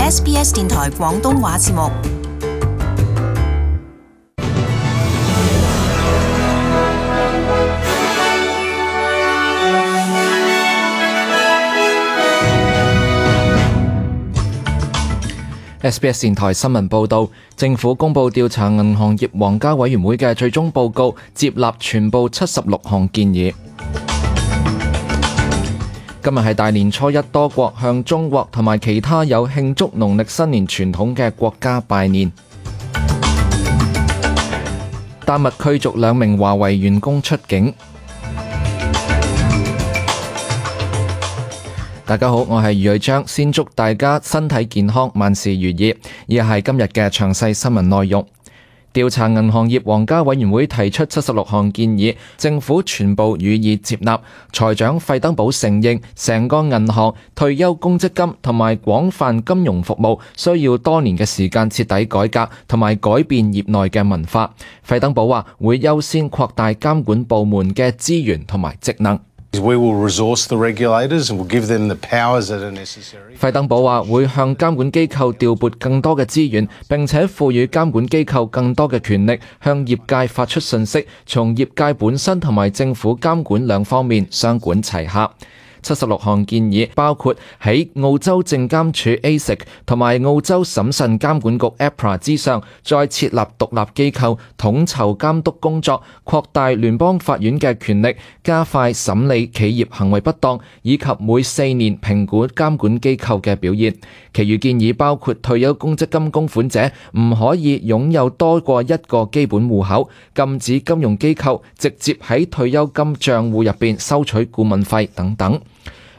SBS 電台廣東話節目。SBS 電台新聞報導，政府公布調查銀行業皇家委員會嘅最終報告，接納全部76項建議。今日係大年初一，多國向中國同埋其他有慶祝農曆新年傳統嘅國家拜年。丹麥驅逐2名華為員工出境。大家好，我係余瑞章，先祝大家身體健康，萬事如意。以下係今日嘅詳細新聞內容。調查銀行業皇家委員會提出76項建議，政府全部予以接納。財長費登堡承認，成個銀行、退休公積金同埋廣泛金融服務需要多年嘅時間徹底改革同埋改變業內嘅文化。費登堡話會優先擴大監管部門嘅資源同埋職能。費登堡話會向監管機構調撥更多嘅資源，並且賦予監管機構更多嘅權力，向業界發出訊息，從業界本身同埋政府監管兩方面雙管齊下。76項建議包括喺澳洲證監署 ASIC 同埋澳洲審慎監管局 APRA 之上，再設立獨立機構統籌監督工作，擴大聯邦法院嘅權力，加快審理企業行為不當，以及每4年評估監管機構嘅表現。其餘建議包括退休公積金供款者唔可以擁有多過一個基本戶口，禁止金融機構直接喺退休金賬戶入邊收取顧問費等等。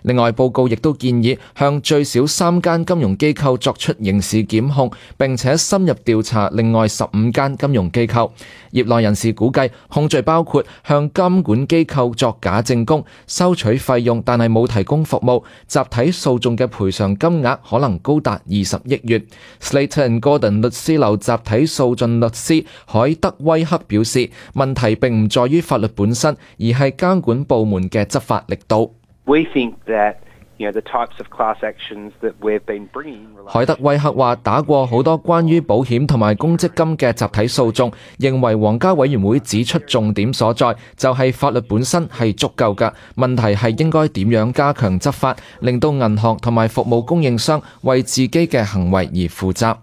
另外，報告亦都建議向最少3間金融機構作出刑事檢控，並且深入調查另外15間金融機構。業內人士估計，控罪包括向監管機構作假證供、收取費用但係冇提供服務，集體訴訟嘅賠償金額可能高達20億元。Slater and Gordon 律師樓集體訴訟律師海德威克表示，問題並唔在於法律本身，而係監管部門嘅執法力度。海德威克話打過好多關於保險同埋公積金嘅集體訴訟，認為皇家委員會指出重點所在就係法律本身係足夠㗎，問題係應該點樣加強執法，令到銀行同埋服務供應商為自己嘅行為而負責。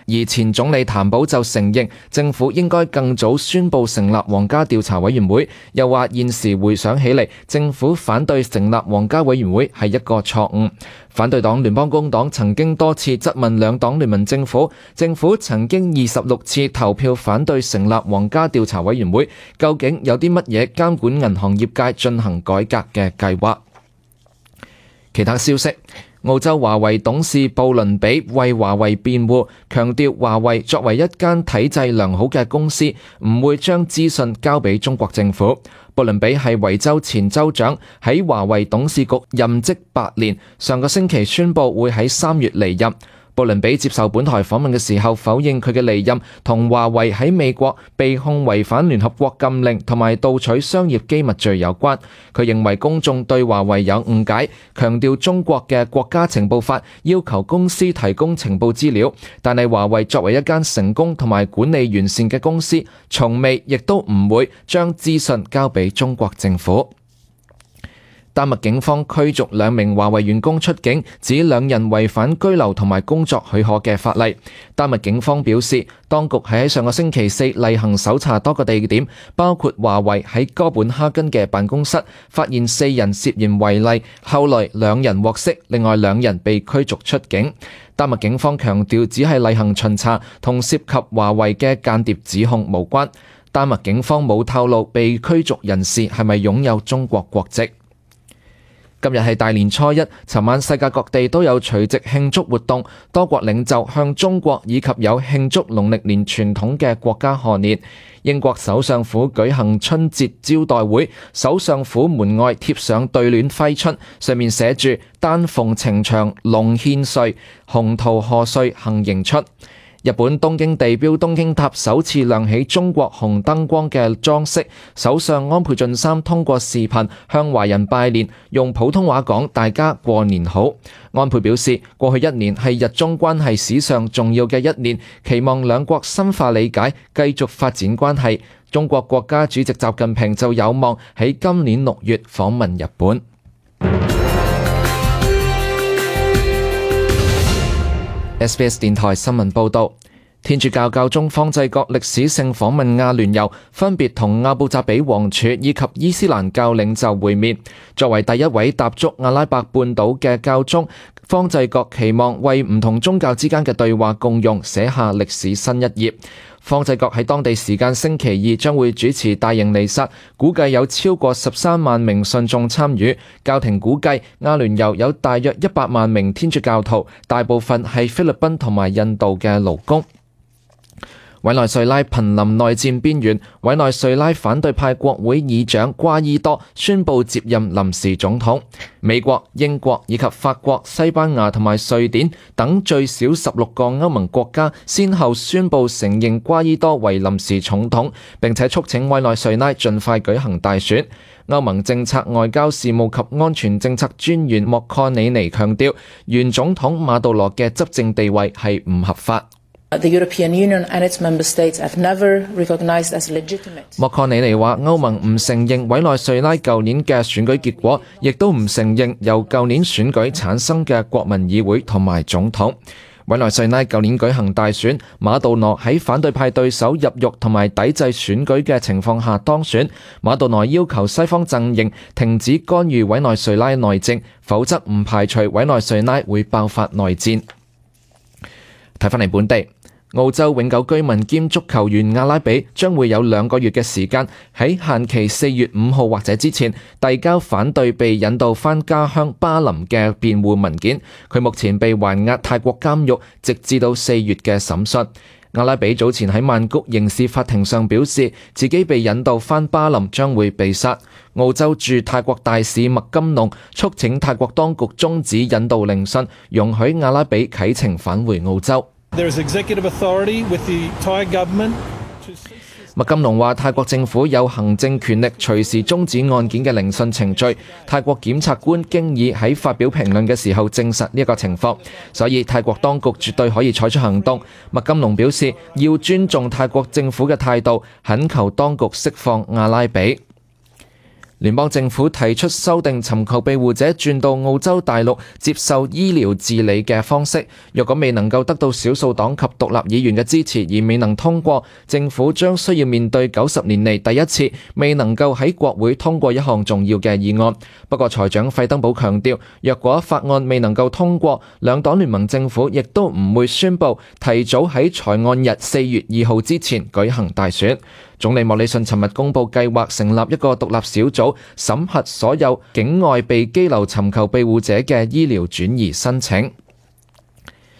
而前總理譚寶就承認政府應該更早宣布成立皇家調查委員會，又話現時回想起嚟，政府反對成立皇家委員會係一個錯誤。反對黨聯邦工黨曾經多次質問兩黨聯盟政府，政府曾經26次投票反對成立皇家調查委員會，究竟有啲乜嘢監管銀行業界進行改革嘅計劃？其他消息。澳洲華為董事布倫比為華為辯護，強調華為作為一間體制良好嘅公司，唔會將資訊交俾中國政府。布倫比係維州前州長，喺華為董事局任職8年，上個星期宣布會喺3月離任。布倫比接受本台訪問嘅時候否認佢嘅離任同華為喺美國被控違反聯合國禁令同埋盜取商業機密罪有關。佢認為公眾對華為有誤解，強調中國嘅國家情報法要求公司提供情報資料，但係華為作為一間成功同埋管理完善嘅公司，從未亦都唔會將資訊交俾中國政府。丹麥警方驅逐2名華為員工出境，指2人違反居留同埋工作許可嘅法例。丹麥警方表示，當局係喺上個星期4例行搜查多個地點，包括華為喺哥本哈根嘅辦公室，發現4人涉嫌違例，後來2人獲釋，另外2人被驅逐出境。丹麥警方強調只係例行巡查，同涉及華為嘅間諜指控無關。丹麥警方冇透露被驅逐人士係咪擁有中國國籍。今日係大年初一，尋晚世界各地都有除夕慶祝活動，多國領袖向中國以及有慶祝農曆年傳統嘅國家賀年。英國首相府舉行春節招待會，首相府門外貼上對聯揮春，上面寫住丹鳳呈祥龍獻瑞，鴻圖賀歲幸迎出。日本東京地標東京塔首次亮起中國紅燈光嘅裝飾，首相安倍晉三通過視頻向華人拜年，用普通話講大家過年好。安倍表示，過去一年係日中關係史上重要嘅一年，期望兩國深化理解，繼續發展關係。中國國家主席習近平就有望喺今年6月訪問日本。SBS 電台新聞報導，天主教教宗方濟各歷史性訪問阿聯酋，分別同阿布扎比王儲以及伊斯蘭教領袖會面。作為第一位踏足阿拉伯半島嘅教宗，方濟各期望為唔同宗教之間嘅對話共融寫下歷史新一頁。方濟各喺當地時間星期二將會主持大型彌撒，估計有超過13萬名信眾參與。教廷估計阿聯酋有大約100萬名天主教徒，大部分係菲律賓同埋印度嘅勞工。委內瑞拉瀕臨內戰邊緣，委內瑞拉反對派國會議長瓜伊多宣布接任臨時總統。美國、英國以及法國、西班牙同埋瑞典等最少16個歐盟國家先後宣布承認瓜伊多為臨時總統，並且促請委內瑞拉盡快舉行大選。歐盟政策外交事務及安全政策專員莫確尼尼強調，原總統馬杜羅嘅執政地位係唔合法。莫確尼尼話：歐盟唔承認委內瑞拉舊年嘅選舉結果，亦都唔承認由舊年選舉產生嘅國民議會同埋總統。委內瑞拉舊年舉行大選，馬杜羅喺反對派對手入獄同埋抵制選舉嘅情況下當選。馬杜羅要求西方陣營停止干預委內瑞拉內政，否則唔排除委內瑞拉會爆發內戰。睇返嚟本地。澳洲永久居民兼足球員阿拉比將會有2個月嘅時間，喺限期4月5號或者之前遞交反對被引渡返家鄉巴林嘅辯護文件。佢目前被還押泰國監獄，直至到4月嘅審訊。阿拉比早前喺曼谷刑事法庭上表示，自己被引渡返巴林將會被殺。澳洲駐泰國大使麥金龍促請泰國當局終止引渡聆訊，容許阿拉比啟程返回澳洲。麥金龍話：泰國政府有行政權力隨時終止案件嘅聆訊程序。泰國檢察官經已喺發表評論嘅時候證實呢一個情況，所以泰國當局絕對可以採取行動。麥金龍表示要尊重泰國政府嘅態度，懇求當局釋放阿拉比。聯邦政府提出修訂尋求庇護者轉到澳洲大陸接受醫療治理嘅方式，若果未能夠得到少數黨及獨立議員嘅支持而未能通過，政府將需要面對90年嚟第一次未能夠喺國會通過一項重要嘅議案。不過財長費登堡強調，若果法案未能夠通過，兩黨聯盟政府亦都唔會宣布提早喺財案日4月2號之前舉行大選。總理莫里遜尋日公布計劃成立一個獨立小組，審核所有境外被羈留尋求庇護者嘅醫療轉移申請。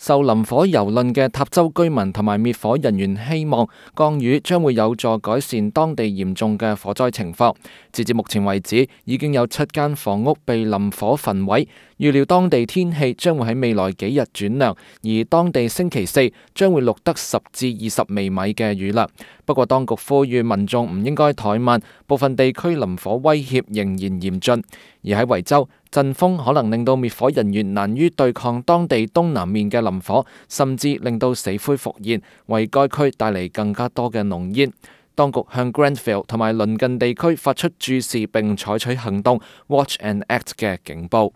受林火蹂躪嘅塔州居民同埋滅火人員希望降雨將會有助改善當地嚴重嘅火災情況。截至目前為止，已經有7間房屋被林火焚毀。預料當地天氣將會喺未來幾日轉涼，而當地星期4將會錄得10至20微米嘅雨量。不過當局呼籲民眾唔應該怠慢，部分地區林火威脅仍然嚴峻。而喺維州，陣風可能令到滅火人員難於對抗當地東南面嘅林火，甚至令到死灰復燃，為該區帶嚟更加多嘅濃煙。當局向 Granville 同埋鄰近地區發出注視並採取行動 Watch and Act 嘅警報。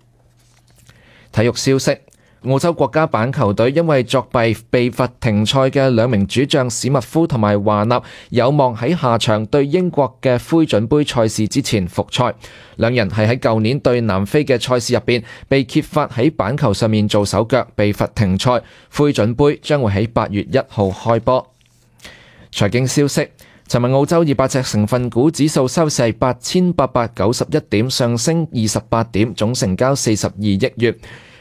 體育消息：澳洲國家板球隊因為作弊被罰停賽嘅2名主將史密夫同埋華納有望喺下場對英國嘅灰準杯賽事之前復賽。兩人係喺舊年對南非嘅賽事入邊被揭發喺板球上面做手腳，被罰停賽。灰準杯將會喺8月1號開波。財經消息：尋日澳洲200隻成分股指數收市8891點，上升28點，總成交42億元。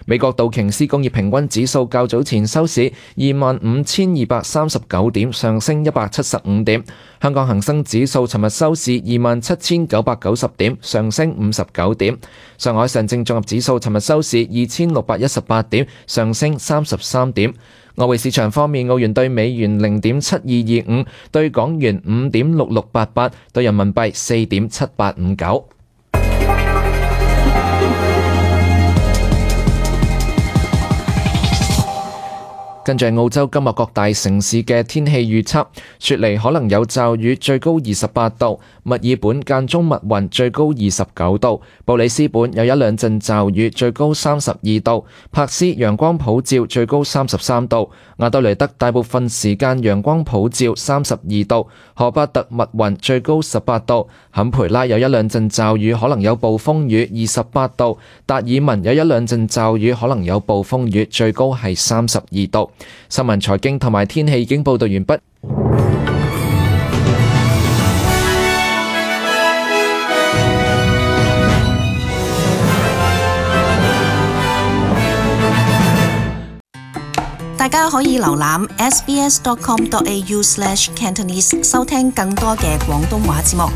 美國道瓊斯工業平均指數較早前收市25,239點，上升175點。香港恒生指數尋日收市27,990點，上升59點。上海上證綜合指數尋日收市2,618點，上升33點。外匯市場方面，澳元對美元0.7225，對港元5.6688，對人民幣4.7859。跟住澳洲今日各大城市嘅天氣預測，雪梨可能有驟雨，最高28度；墨爾本間中密雲，最高29度；布里斯本有一兩陣驟雨，最高32度；珀斯陽光普照，最高33度；亞德雷德大部分時間陽光普照，32度；荷巴特密雲，最高18度；坎培拉有一兩陣驟雨，可能有暴風雨，28度；達爾文有一兩陣驟雨，可能有暴風雨，最高係32度。新聞、財經同埋天氣已經報道完畢。大家可以瀏覽 sbs.com.au/cantonese 收聽更多嘅廣東話節目。